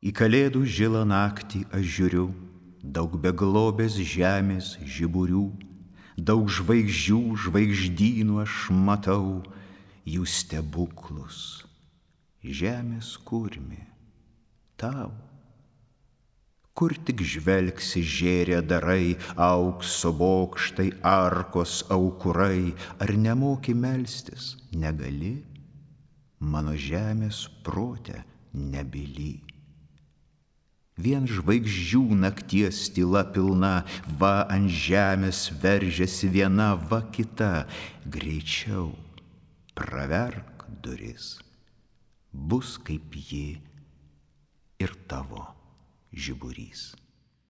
Į kalėdų žilą naktį aš žiūriu, daug beglobės žemės žiburių, daug žvaigždžių, žvaigždynų aš matau, jų stebuklus. Žemės kurmi tau. Kur tik žvelgsi žėrė darai, aukso bokštai, arkos aukurai, ar nemoki melstis, negali, mano žemės prote nebyli. Vien žvaigždžių nakties tyla pilna, va ant žemės veržiasi viena, va kita, greičiau praverk duris, bus kaip ji ir tavo žiburys.